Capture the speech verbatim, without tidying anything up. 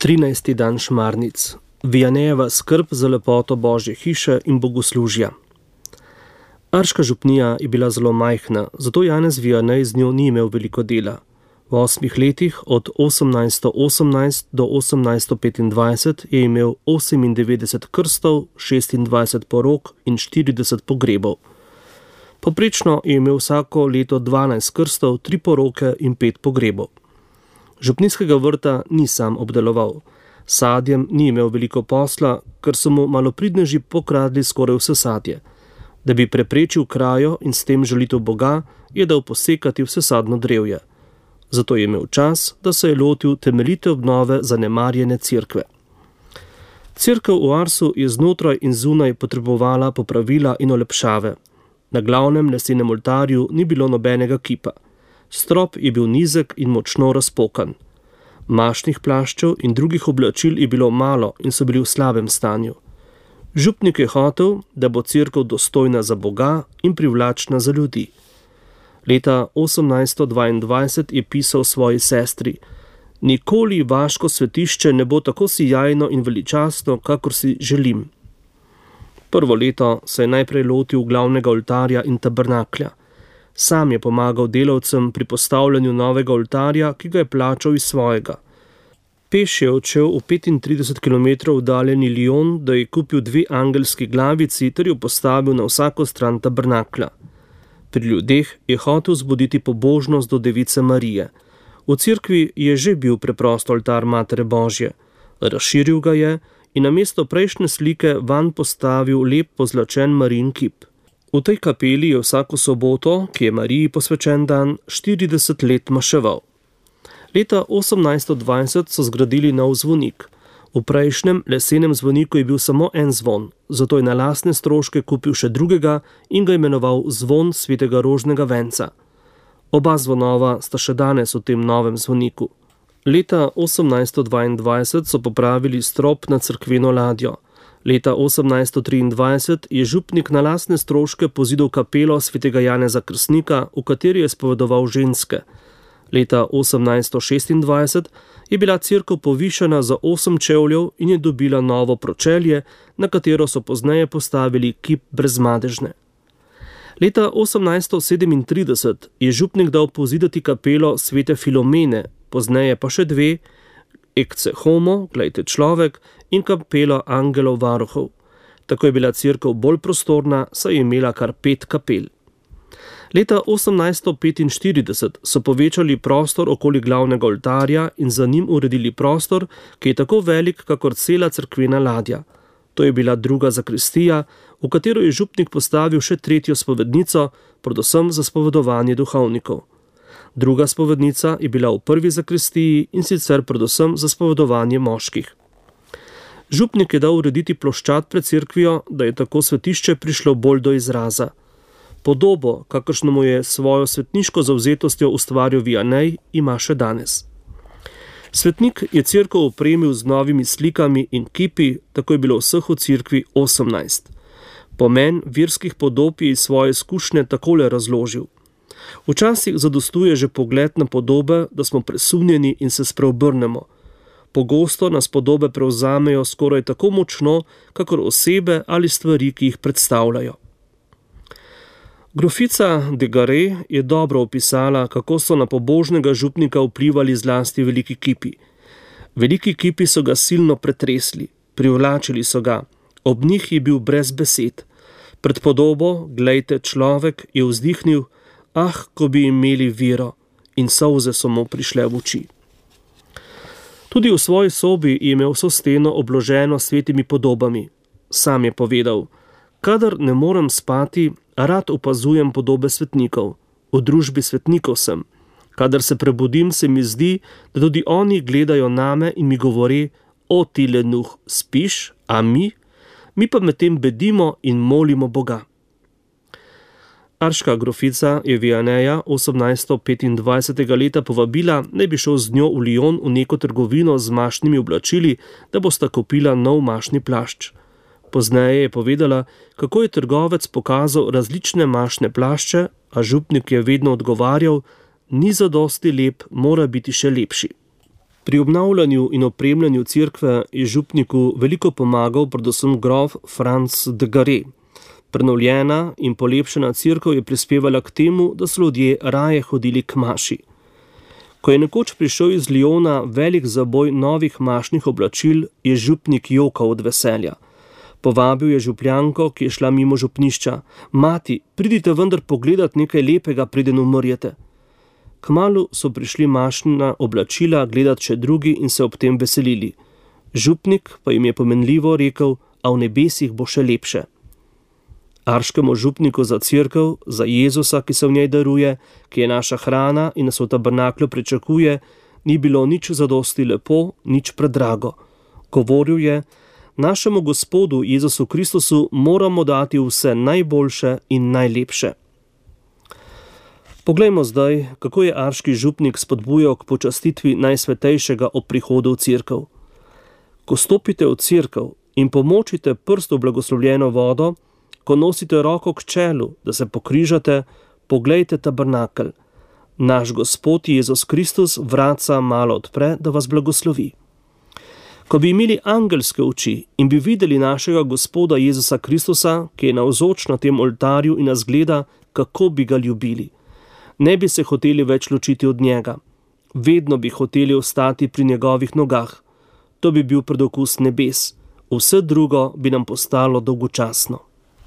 trinajsti dan šmarnic. Vijanejeva skrb za lepoto Božje hiše in bogoslužja. Arška župnija je bila zelo majhna, zato Janez Vijanej z njo ni imel veliko dela. V osmih letih od osemnajststo osemnajst do osemnajststo petindvajset je imel osemindevetdeset krstov, šestindvajset porok in štirideset pogrebov. Poprečno je imel vsako leto dvanajst krstov, tri poroke in pet pogrebov. Župnijskega vrta ni sam obdeloval. S sadjem ni imel veliko posla, ker so mu malopridneži pokradli skoraj vse sadje. Da bi preprečil krajo in s tem žalitev Boga, je dal posekati vse sadno drevje. Zato je imel čas, da se je lotil temeljite obnove zanemarjene cerkve. Cerkev v Arsu je znotraj in zunaj potrebovala popravila in olepšave. Na glavnem lesenem oltarju ni bilo nobenega kipa. Strop je bil nizek in močno razpokan. Mašnih plaščev in drugih oblačil je bilo malo in so bili v slabem stanju. Župnik je hotel, da bo cerkev dostojna za Boga in privlačna za ljudi. Leta osemnajststo dvaindvajset je pisal svoji sestri: Nikoli vaško svetišče ne bo tako sijajno in veličastno, kakor si želim. Prvo leto se je najprej lotil glavnega oltarja in tabernaklja. Sam je pomagal delavcem pri postavljanju novega oltarja, ki ga je plačal iz svojega. Peš je odšel v petintrideset kilometrov oddaljeni Lyon, da je kupil dve angelski glavici ter jo postavil na vsako stran tabernaklja. Pri ljudeh je hotel zbuditi pobožnost do Device Marije. V cerkvi je že bil preprost oltar Matere Božje. Razširil ga je in namesto prejšnje slike vanj postavil lep pozlačen Marijin kip. V tej kapeli je vsako soboto, ki je Mariji posvečen dan, štirideset let maševal. Leta osemnajststo dvajset so zgradili nov zvonik. V prejšnjem lesenem zvoniku je bil samo en zvon, zato je na lastne stroške kupil še drugega in ga imenoval Zvon svetega Rožnega venca. Oba zvonova sta še danes v tem novem zvoniku. Leta osemnajststo dvaindvajset so popravili strop na cerkveno ladjo. Leta osemnajststo triindvajset je župnik na lastne stroške pozidal kapelo svetega Janeza Krstnika, v kateri je spovedoval ženske. Leta osemnajststo šestindvajset je bila cerkev povišana za osem čevljev in je dobila novo pročelje, na katero so pozneje postavili kip Brezmadežne. Leta osemnajststo sedemintrideset je župnik dal pozidati kapelo svete Filomene, pozneje pa še dve, Ecce Homo, glejte človek, in kapelo Angelov varuhov. Tako je bila cerkev bolj prostorna, saj je imela kar pet kapel. Leta osemnajststo petinštirideset so povečali prostor okoli glavnega oltarja in za njim uredili prostor, ki je tako velik, kakor cela cerkvena ladja. To je bila druga zakristija, v katero je župnik postavil še tretjo spovednico, predvsem za spovedovanje duhovnikov. Druga spovednica je bila v prvi zakristiji in sicer predvsem za spovedovanje moških. Župnik je dal urediti ploščad pred cerkvijo, da je tako svetišče prišlo bolj do izraza. Podobo, kakršno mu je svojo svetniško zavzetostjo ustvaril Vijanej, ima še danes. Svetnik je cerkev opremil z novimi slikami in kipi, tako je bilo vseh v cerkvi osemnajst. Pomen verskih podob je iz svoje izkušnje takole razložil. Včasih zadostuje že pogled na podobe, da smo presunjeni in se spreobrnemo. Pogosto nas podobe prevzamejo skoraj tako močno, kakor osebe ali stvari, ki jih predstavljajo. Grofica de Garay je dobro opisala, kako so na pobožnega župnika vplivali zlasti veliki kipi. Veliki kipi so ga silno pretresli, privlačili so ga, ob njih je bil brez besed. Pred podobo, glejte človek, je vzdihnil: ah, ko bi imeli vero, in solze so mu prišle v oči. Tudi v svoji sobi je imel vso steno obloženo svetimi podobami. Sam je povedal: kadar ne morem spati, rad opazujem podobe svetnikov. V družbi svetnikov sem. Kadar se prebudim, se mi zdi, da tudi oni gledajo name in mi govori: o ti lenuh, spiš, a mi? Mi pa medtem bedimo in molimo Boga. Arška grofica je Vijaneja osemnajststo petindvajsetega leta povabila, naj bi šel z njo v Lyon v neko trgovino z mašnimi oblačili, da bosta kupila nov mašni plašč. Pozneje je povedala, kako je trgovec pokazal različne mašne plašče, a župnik je vedno odgovarjal: ni zadosti lep, mora biti še lepši. Pri obnavljanju in opremljanju cerkve je župniku veliko pomagal predvsem grof Franc de Garé. Prenovljena in polepšana cerkev je prispevala k temu, da so ljudje raje hodili k maši. Ko je nekoč prišel iz Lyona velik zaboj novih mašnih oblačil, je župnik jokal od veselja. Povabil je župljanko, ki je šla mimo župnišča. Mati, pridite vendar pogledat nekaj lepega, preden umrjete. Kmalu so prišli mašna oblačila gledat še drugi in se ob tem veselili. Župnik pa jim je pomenljivo rekel, a v nebesih bo še lepše. Arškemu župniku za cerkev, za Jezusa, ki se v njej daruje, ki je naša hrana in nas v tabernaklju pričakuje, ni bilo nič zadosti lepo, nič predrago. Govoril je, našemu Gospodu Jezusu Kristusu moramo dati vse najboljše in najlepše. Poglejmo zdaj, kako je arški župnik spodbujal k počastitvi najsvetejšega ob prihodu v cerkev. Ko stopite v cerkev in pomočite prst v blagoslovljeno vodo, ko nosite roko k čelu, da se pokrižate, poglejte tabernakelj. Naš Gospod Jezus Kristus vratca malo odpre, da vas blagoslovi. Ko bi imeli angelske oči in bi videli našega Gospoda Jezusa Kristusa, ki je navzoč na tem oltarju in nas gleda, kako bi ga ljubili. Ne bi se hoteli več ločiti od njega. Vedno bi hoteli ostati pri njegovih nogah. To bi bil predokus nebes. Vse drugo bi nam postalo dolgočasno.